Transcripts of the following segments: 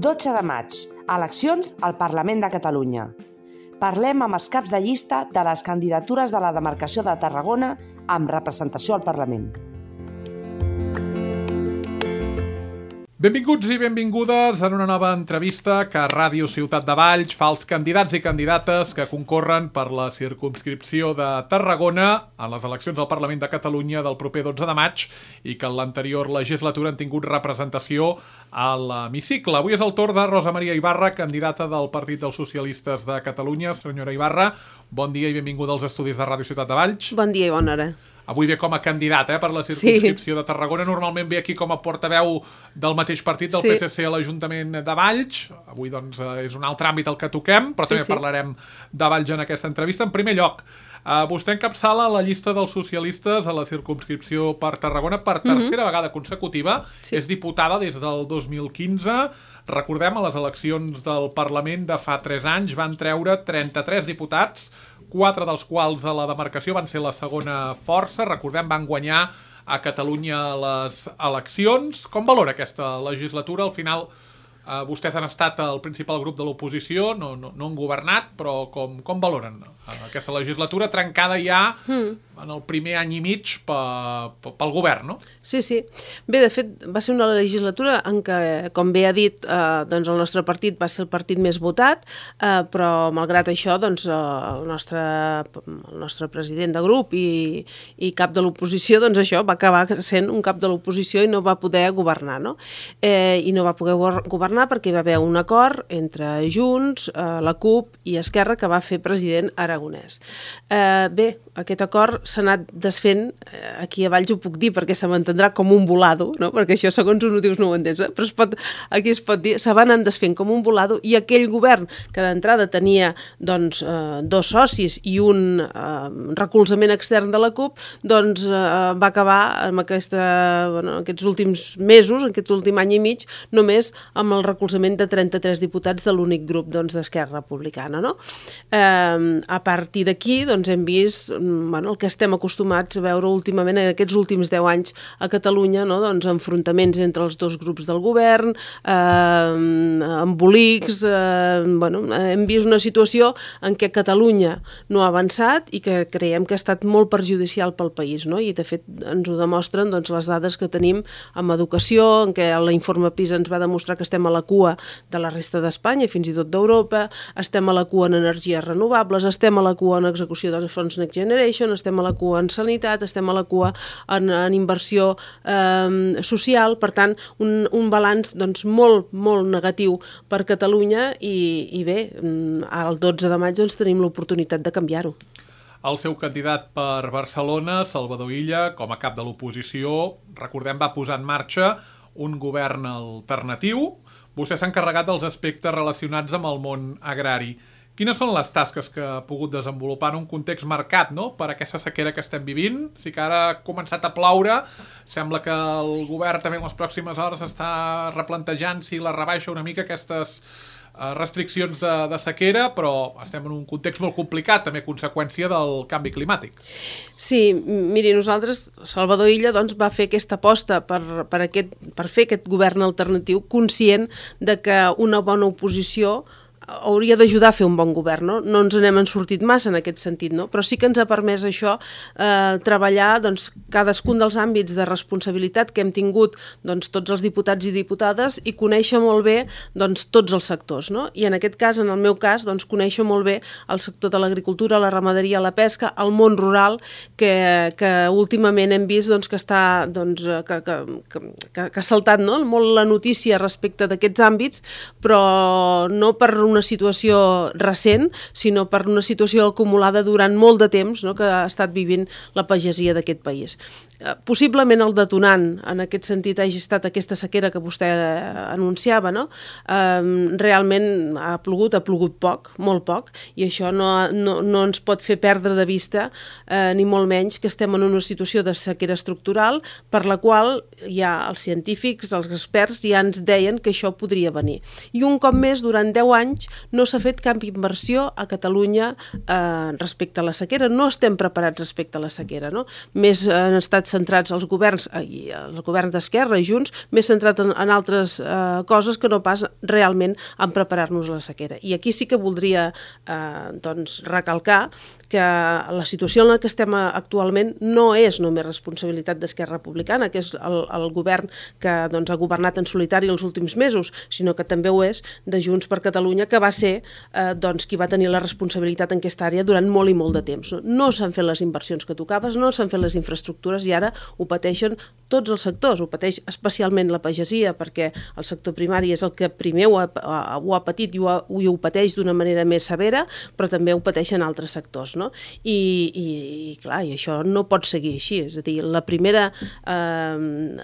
12 de maig, eleccions al Parlament de Catalunya. Parlem amb els caps de llista de les candidatures de la demarcació de Tarragona amb representació al Parlament. Benvinguts i benvingudes en una nova entrevista que Ràdio Ciutat de Valls fa als candidats i candidates que concorren per la circumscripció de Tarragona en les eleccions al Parlament de Catalunya del proper 12 de maig i que en l'anterior legislatura han tingut representació a l'hemicicle. Avui és el torn de Rosa Maria Ibarra, candidata del Partit dels Socialistes de Catalunya. Senyora Ibarra, bon dia i benvinguda als estudis de Ràdio Ciutat de Valls. Bon dia i bona hora. Avui ve com a candidat per la circumscripció de Tarragona. Normalment ve aquí com a portaveu del mateix partit, del PSC a l'Ajuntament de Valls. Avui doncs és un altre àmbit el que toquem, però també parlarem de Valls en aquesta entrevista. En primer lloc, vostè encapçala la llista dels socialistes a la circumscripció per Tarragona per tercera vegada consecutiva. És diputada des del 2015. Recordem, a les eleccions del Parlament de fa 3 anys van treure 33 diputats, 4 dels quals a la demarcació van ser la segona força. Recordem, van guanyar a Catalunya les eleccions. Com valora aquesta legislatura? Al final, vostès han estat el principal grup de l'oposició, no han governat, però com valoren aquesta legislatura trencada ja en el primer any i mig pel govern, no? Sí. Bé, de fet, va ser una legislatura en què, com bé ha dit, doncs el nostre partit va ser el partit més votat, però malgrat això, doncs el nostre president de grup i cap de l'oposició, doncs això va acabar sent un cap de l'oposició i no va poder governar, no? I no va poder governar perquè hi va haver un acord entre Junts, la CUP i Esquerra que va fer president Aragonès. Bé, aquest acord s'ha anat desfent, aquí a Valls ho puc dir perquè se m'entendrà com un volado, no? Perquè això segons on ho dius no ho entens, però aquí es pot dir, se van anar desfent com un volado i aquell govern que d'entrada tenia doncs, 2 socis i un recolzament extern de la CUP, doncs va acabar amb aquests últims mesos, aquest últim any i mig, només amb el recolzament de 33 diputats de l'únic grup d'Esquerra Republicana, no? A partir d'aquí doncs, hem vist el que estem acostumats a veure últimament en aquests últims 10 anys a Catalunya, no? Doncs, enfrontaments entre els dos grups del govern, embolics, hem vist una situació en què Catalunya no ha avançat i que creiem que ha estat molt perjudicial pel país, no? I de fet ens ho demostren doncs, les dades que tenim en educació, en què l'informe PISA ens va demostrar que estem a la cua de la resta d'Espanya i fins i tot d'Europa, estem a la cua en energies renovables, estem a la cua en execució dels fons Next Generation, estem a la cua en sanitat, estem a la cua en inversió social, per tant, un balanç doncs, molt negatiu per Catalunya i bé, el 12 de maig doncs, tenim l'oportunitat de canviar-ho. El seu candidat per Barcelona, Salvador Illa, com a cap de l'oposició, recordem, va posar en marxa un govern alternatiu. Vostè s'ha encarregat dels aspectes relacionats amb el món agrari. Quines són les tasques que ha pogut desenvolupar en un context marcat, no?, per aquesta sequera que estem vivint? Sí que ara ha començat a ploure, sembla que el govern també en les pròximes hores està replantejant si la rebaixa una mica aquestes restriccions de sequera, però estem en un context molt complicat, també conseqüència del canvi climàtic. Sí, miri, nosaltres, Salvador Illa, doncs, va fer aquesta aposta per fer aquest govern alternatiu conscient de que una bona oposició hauria d'ajudar a fer un bon govern, no? No ens n'hem sortit massa en aquest sentit, no? Però sí que ens ha permès això treballar doncs, cadascun dels àmbits de responsabilitat que hem tingut doncs, tots els diputats i diputades i conèixer molt bé doncs, tots els sectors, no? I en aquest cas, en el meu cas, doncs, conèixer molt bé el sector de l'agricultura, la ramaderia, la pesca, el món rural, que últimament hem vist doncs, que està doncs, que ha saltat, no?, molt la notícia respecte d'aquests àmbits, però no per una situació recent, sinó per una situació acumulada durant molt de temps, no?, que ha estat vivint la pagesia d'aquest país. Possiblement el detonant en aquest sentit hagi estat aquesta sequera que vostè anunciava, no? Realment ha plogut poc, molt poc, i això no ens pot fer perdre de vista ni molt menys que estem en una situació de sequera estructural per la qual ja els científics, els experts ja ens deien que això podria venir. I un cop més, durant 10 anys no s'ha fet cap inversió a Catalunya respecte a la sequera, no estem preparats respecte a la sequera, no? Més han estat centrats els governs d'Esquerra i Junts, més centrat en altres coses que no pas realment en preparar-nos a la sequera. I aquí sí que voldria recalcar que la situació en la que estem actualment no és només responsabilitat d'Esquerra Republicana, que és el govern que ha governat en solitari els últims mesos, sinó que també ho és de Junts per Catalunya, que va ser qui va tenir la responsabilitat en aquesta àrea durant molt i molt de temps. No s'han fet les inversions que tocaves, no s'han fet les infraestructures i ara ho pateixen tots els sectors. Ho pateix especialment la pagesia, perquè el sector primari és el que primer ho ha patit i ho pateix d'una manera més severa, però també ho pateixen altres sectors, no? I clar, i això no pot seguir així. És a dir, la primera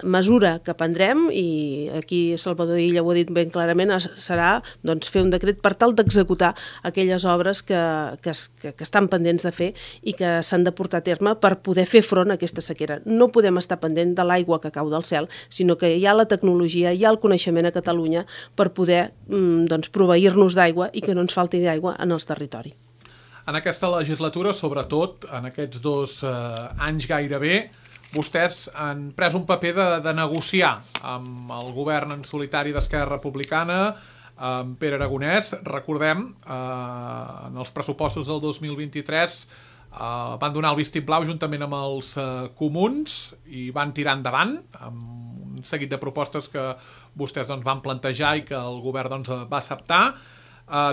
mesura que prendrem, i aquí Salvador Illa ho ha dit ben clarament, serà fer un decret per tal d'executar aquelles obres que estan pendents de fer i que s'han de portar a terme per poder fer front a aquesta sequera. No podem estar pendent de l'aigua que cau del cel, sinó que hi ha la tecnologia, hi ha el coneixement a Catalunya per poder proveir-nos d'aigua i que no ens falti d'aigua en el territori. En aquesta legislatura, sobretot en aquests 2 anys gairebé, vostès han pres un paper de negociar amb el govern en solitari d'Esquerra Republicana, amb Pere Aragonès. Recordem, en els pressupostos del 2023 van donar el vistiplau juntament amb els comuns i van tirar endavant amb un seguit de propostes que vostès van plantejar i que el govern va acceptar.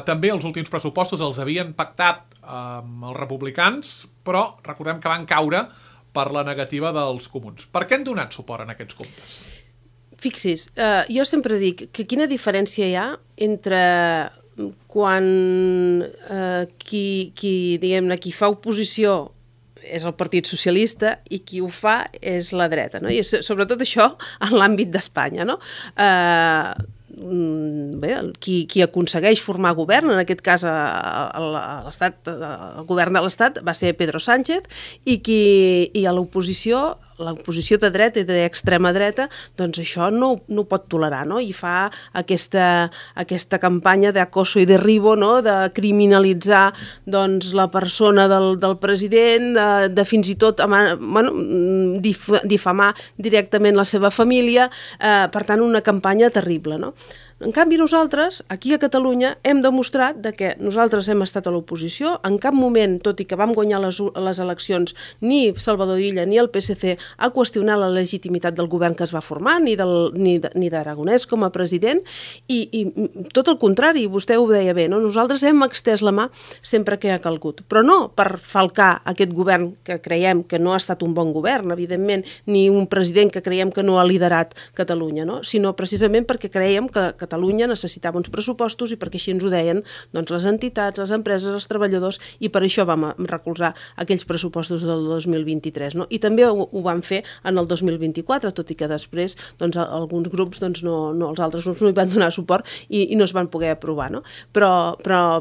També els últims pressupostos els havien pactat amb els republicans, però recordem que van caure per la negativa dels comuns. Per què han donat suport en aquests comptes? Fixis, jo sempre dic que quina diferència hi ha entre quan qui fa oposició és el Partit Socialista i qui ho fa és la dreta, no? I sobretot això en l'àmbit d'Espanya, no? Qui aconsegueix formar govern, en aquest cas el govern de l'Estat, va ser Pedro Sánchez, i a l'oposició de dreta i d'extrema dreta, doncs això no ho pot tolerar, no? I fa aquesta campanya d'acoso i derribo, no? De criminalitzar la persona del president, de fins i tot difamar directament la seva família, per tant una campanya terrible, no? En canvi, nosaltres, aquí a Catalunya, hem demostrat que nosaltres hem estat a l'oposició. En cap moment, tot i que vam guanyar les eleccions, ni Salvador Illa ni el PSC ha qüestionat la legitimitat del govern que es va formar, ni d'Aragonès com a president, i tot el contrari, vostè ho deia bé, no? Nosaltres hem extès la mà sempre que ha calgut, però no per falcar aquest govern que creiem que no ha estat un bon govern, evidentment, ni un president que creiem que no ha liderat Catalunya, no? Sinó precisament perquè creiem que Catalunya necessitava uns pressupostos i perquè així ens ho deien les entitats, les empreses, els treballadors, i per això vam recolzar aquells pressupostos del 2023. No? I també ho vam fer en el 2024, tot i que després alguns grups, els altres grups no hi van donar suport i no es van poder aprovar. No? Però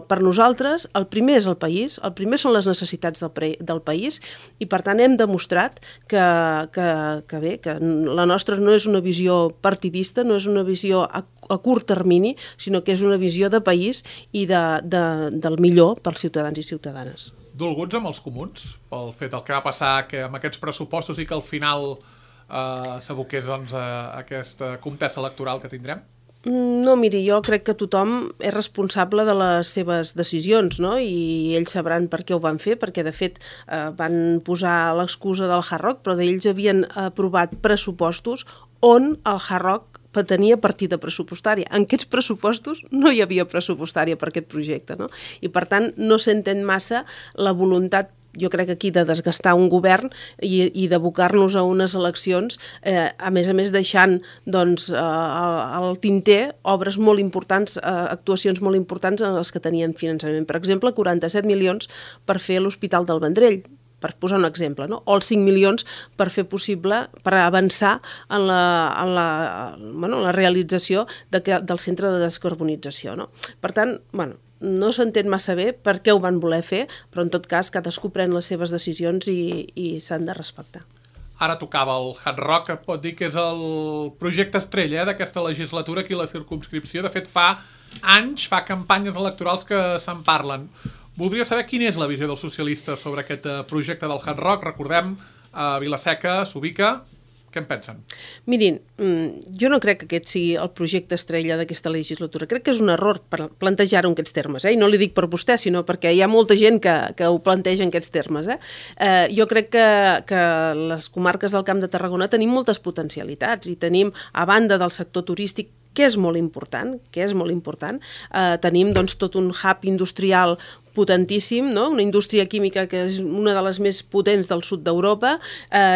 per nosaltres el primer és el país, el primer són les necessitats del país, i per tant hem demostrat que la nostra no és una visió partidista, no és una visió a curt termini, sinó que és una visió de país i del millor pels ciutadans i ciutadanes. Dolguts amb els comuns pel fet del que va passar amb aquests pressupostos i que al final s'aboqués a aquesta contesa electoral que tindrem? No, miri, jo crec que tothom és responsable de les seves decisions, no? I ells sabran per què ho van fer, perquè de fet van posar l'excusa del Hard Rock, però ells havien aprovat pressupostos on el Hard Rock tenia partida pressupostària. En aquests pressupostos no hi havia pressupostària per aquest projecte, no? I per tant no s'entén massa la voluntat, jo crec aquí, de desgastar un govern i d'abocar-nos a unes eleccions, a més deixant al tinter obres molt importants, actuacions molt importants en les que tenien finançament. Per exemple, 47 milions per fer l'Hospital del Vendrell, per posar un exemple, no? O els 5 milions per fer possible, per avançar en la realització del centre de descarbonització, no? Per tant, no s'entén massa bé per què ho van voler fer, però en tot cas cadascú pren les seves decisions i s'han de respectar. Ara tocava el Hard Rock, pot dir que és el projecte estrella d'aquesta legislatura aquí a la circumscripció. De fet, fa anys, fa campanyes electorals que se'n parlen. Voldria saber quina és la visió dels socialistes sobre aquest projecte del Hard Rock. Recordem, a Vila-seca s'ubica. Què en pensen? Mirin, jo no crec que aquest sigui el projecte estrella d'aquesta legislatura. Crec que és un error plantejar-ho en aquests termes. I no li dic per vostè, sinó perquè hi ha molta gent que ho planteja en aquests termes. Jo crec que les comarques del Camp de Tarragona tenim moltes potencialitats i tenim, a banda del sector turístic, que és molt important, tenim doncs, tot un hub industrial potentíssim, no? Una indústria química que és una de les més potents del sud d'Europa,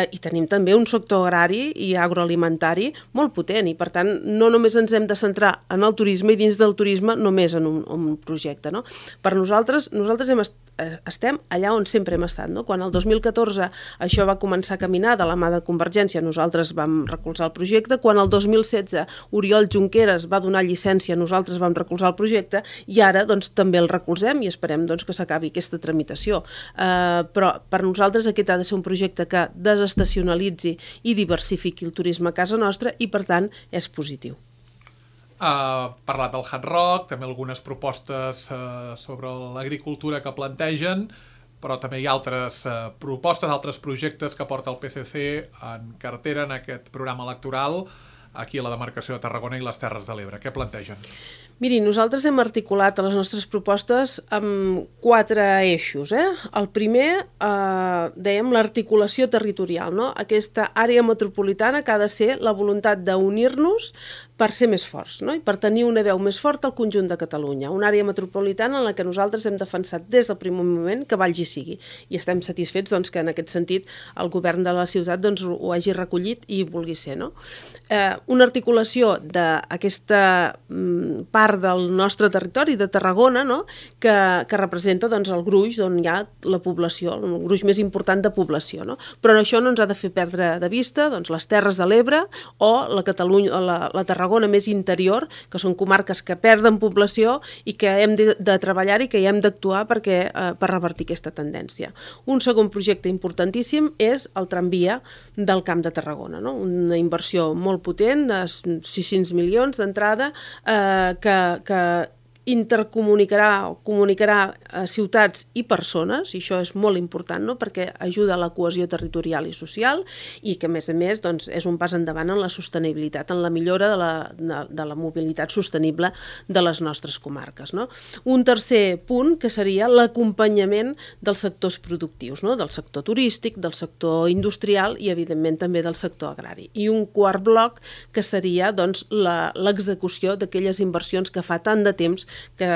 i tenim també un sector agrari i agroalimentari molt potent, i per tant no només ens hem de centrar en el turisme i dins del turisme només en un projecte. No? Per nosaltres estem allà on sempre hem estat. No? Quan el 2014 això va començar a caminar de la mà de Convergència, nosaltres vam recolzar el projecte. Quan el 2016 Oriol Junqueras va donar llicència, nosaltres vam recolzar el projecte, i ara doncs, també el recolzem i esperem doncs, que s'acabi aquesta tramitació. Però per nosaltres aquest ha de ser un projecte que desestacionalitzi i diversifiqui el turisme a casa nostra i per tant és positiu. Parlat del Hard Rock, també algunes propostes sobre l'agricultura que plantegen, però també hi ha altres propostes, altres projectes que porta el PSC en cartera en aquest programa electoral aquí a la demarcació de Tarragona i les Terres de l'Ebre. Què plantegen? Miri, nosaltres hem articulat les nostres propostes amb 4 eixos. El primer, dèiem, l'articulació territorial. No? Aquesta àrea metropolitana que ha de ser la voluntat d'unir-nos per ser més forts, no? I per tenir una veu més forta al conjunt de Catalunya. Una àrea metropolitana en la que nosaltres hem defensat des del primer moment que Valls hi sigui. I estem satisfets doncs, que en aquest sentit el govern de la ciutat doncs, ho hagi recollit i vulgui ser. No? Una articulació d'aquesta part del nostre territori, de Tarragona, no? que representa doncs, el gruix on hi ha la població, el gruix més important de població. No? Però això no ens ha de fer perdre de vista doncs, les Terres de l'Ebre o la Tarragona més interior, que són comarques que perden població i que hem de treballar i que hi hem d'actuar per revertir aquesta tendència. Un segon projecte importantíssim és el tramvia del Camp de Tarragona, no? Una inversió molt potent, de 600 milions d'entrada, que intercomunicarà o comunicarà ciutats i persones, i això és molt important, no? Perquè ajuda a la cohesió territorial i social i que, a més, doncs, és un pas endavant en la sostenibilitat, en la millora de la mobilitat sostenible de les nostres comarques. No? Un tercer punt que seria l'acompanyament dels sectors productius, no? Del sector turístic, del sector industrial i, evidentment, també del sector agrari. I un quart bloc que seria doncs, l'execució d'aquelles inversions que fa tant de temps que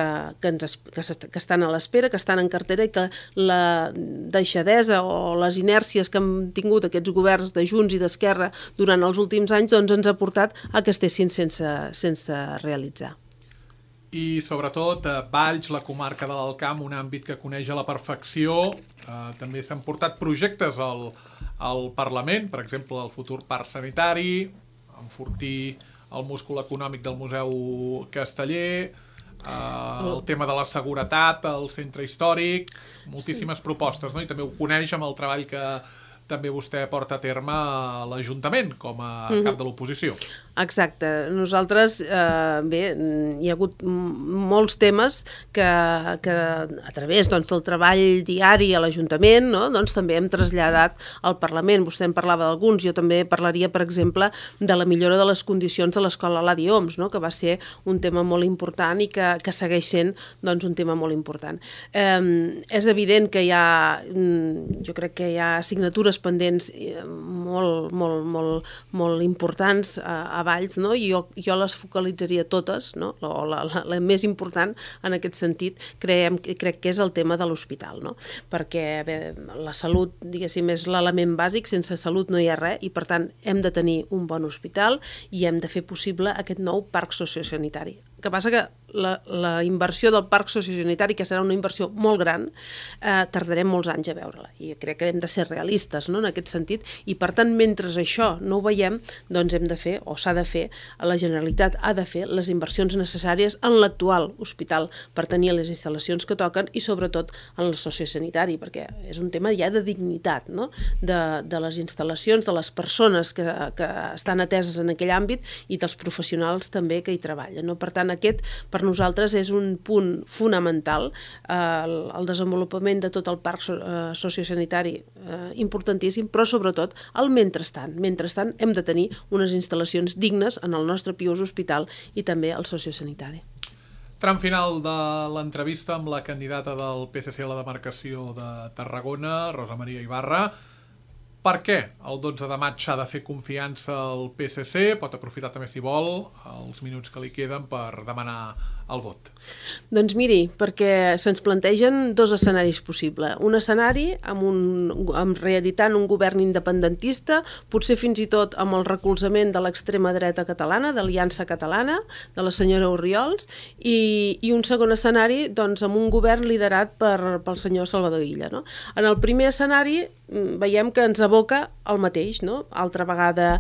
estan a l'espera, que estan en cartera i que la deixadesa o les inèrcies que han tingut aquests governs de Junts i d'Esquerra durant els últims anys doncs ens ha portat a que estessin sense realitzar. I sobretot Valls, la comarca de l'Alt Camp, un àmbit que coneix a la perfecció, també s'han portat projectes al Parlament, per exemple el futur parc sanitari, enfortir el múscul econòmic del Museu Casteller, el tema de la seguretat, el centre històric, moltíssimes propostes, no? I també ho coneix amb el treball que també vostè porta a terme a l'Ajuntament com a cap de l'oposició. Exacte. Nosaltres, bé, hi ha hagut molts temes que a través doncs, del treball diari a l'Ajuntament, no? Doncs, també hem traslladat al Parlament. Vostè en parlava d'alguns, jo també parlaria, per exemple, de la millora de les condicions de l'escola Ladi Homs, no? Que va ser un tema molt important i que segueix sent doncs, un tema molt important. És evident que hi ha, jo crec que hi ha assignatures pendents molt importants a Valls, no? I jo les focalitzaria totes, no? La més important en aquest sentit crec que és el tema de l'hospital, no? Perquè bé, la salut, diguéssim, és l'element bàsic, sense salut no hi ha res i per tant hem de tenir un bon hospital i hem de fer possible aquest nou parc sociosanitari. El que passa que la inversió del parc sociosanitari, que serà una inversió molt gran, tardarem molts anys a veure-la i crec que hem de ser realistes, no? En aquest sentit, i per tant mentre això no ho veiem doncs hem de fer, o s'ha de fer, la Generalitat ha de fer les inversions necessàries en l'actual hospital per tenir les instal·lacions que toquen i sobretot en el sociosanitari, perquè és un tema ja de dignitat, no? De les instal·lacions, de les persones que estan ateses en aquell àmbit i dels professionals també que hi treballen, no? Per tant, tant, aquest per nosaltres és un punt fonamental, el desenvolupament de tot el parc sociosanitari importantíssim, però sobretot el mentrestant. Mentrestant hem de tenir unes instal·lacions dignes en el nostre pius hospital i també el sociosanitari. Tram final de l'entrevista amb la candidata del PSC a la demarcació de Tarragona, Rosa Maria Ibarra. Per què el 12 de maig s'ha de fer confiança al PSC? Pot aprofitar també, si vol, els minuts que li queden per demanar el vot. Doncs miri, perquè se'ns plantegen dos escenaris possibles. Un escenari amb reeditant un govern independentista, potser fins i tot amb el recolzament de l'extrema dreta catalana, d'Aliança Catalana, de la senyora Orriols, i un segon escenari doncs, amb un govern liderat pel senyor Salvador Illa. No? En el primer escenari veiem que ens aboca el mateix, no? Altra vegada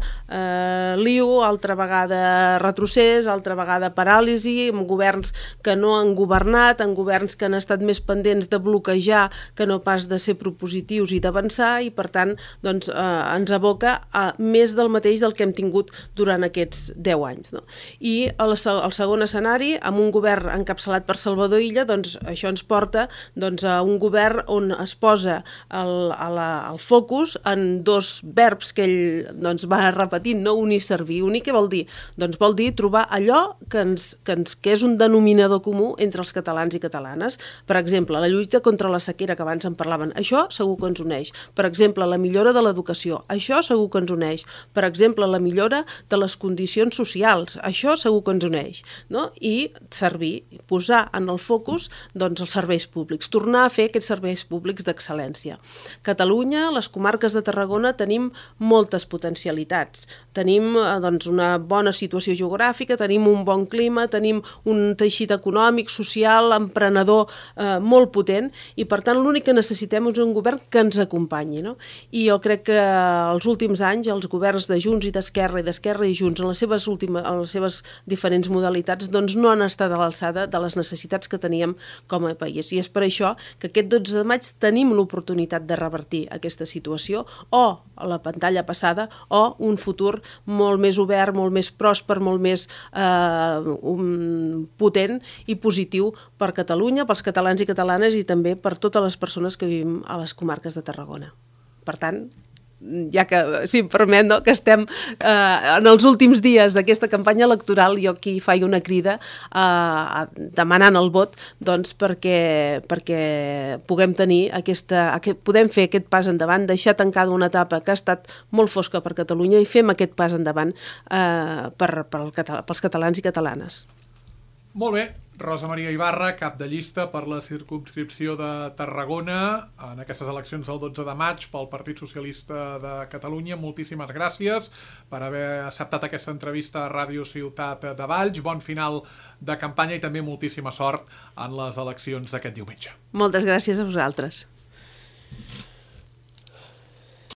lío, altra vegada retrocés, altra vegada paràlisi, amb governs que no han governat, amb governs que han estat més pendents de bloquejar que no pas de ser propositius i d'avançar, i per tant doncs, ens aboca a més del mateix del que hem tingut durant aquests 10 anys. No? I el segon escenari, amb un govern encapçalat per Salvador Illa, doncs això ens porta doncs, a un govern on es posa el focus en dos verbs que ell doncs, va repetint, no unir, servir. Unir què vol dir? Doncs vol dir trobar allò que és un denominador comú entre els catalans i catalanes. Per exemple, la lluita contra la sequera, que abans en parlaven, això segur que ens uneix. Per exemple, la millora de l'educació, això segur que ens uneix. Per exemple, la millora de les condicions socials, això segur que ens uneix. No? I servir, posar en el focus doncs, els serveis públics, tornar a fer aquests serveis públics d'excel·lència. Catalunya, les comarques de Tarragona, tenim moltes potencialitats. Tenim doncs, una bona situació geogràfica, tenim un bon clima, tenim un teixit econòmic, social, emprenedor molt potent, i per tant l'únic que necessitem és un govern que ens acompanyi. No? I jo crec que els últims anys els governs de Junts i d'Esquerra i Junts en les seves diferents modalitats doncs, no han estat a l'alçada de les necessitats que teníem com a país. I és per això que aquest 12 de maig tenim l'oportunitat de revertir aquesta situació, o a la pantalla passada, o un futur molt més obert, molt més pròsper, molt més potent i positiu per Catalunya, pels catalans i catalanes i també per totes les persones que vivim a les comarques de Tarragona. Per tant, ja que, si em permet, no, que estem en els últims dies d'aquesta campanya electoral, jo aquí faig una crida demanant el vot doncs, perquè puguem tenir podem fer aquest pas endavant, deixar tancada una etapa que ha estat molt fosca per Catalunya i fem aquest pas endavant pels catalans i catalanes. Molt bé, Rosa Maria Ibarra, cap de llista per la circumscripció de Tarragona en aquestes eleccions del 12 de maig pel Partit Socialista de Catalunya. Moltíssimes gràcies per haver acceptat aquesta entrevista a Ràdio Ciutat de Valls. Bon final de campanya i també moltíssima sort en les eleccions d'aquest diumenge. Moltes gràcies a vosaltres.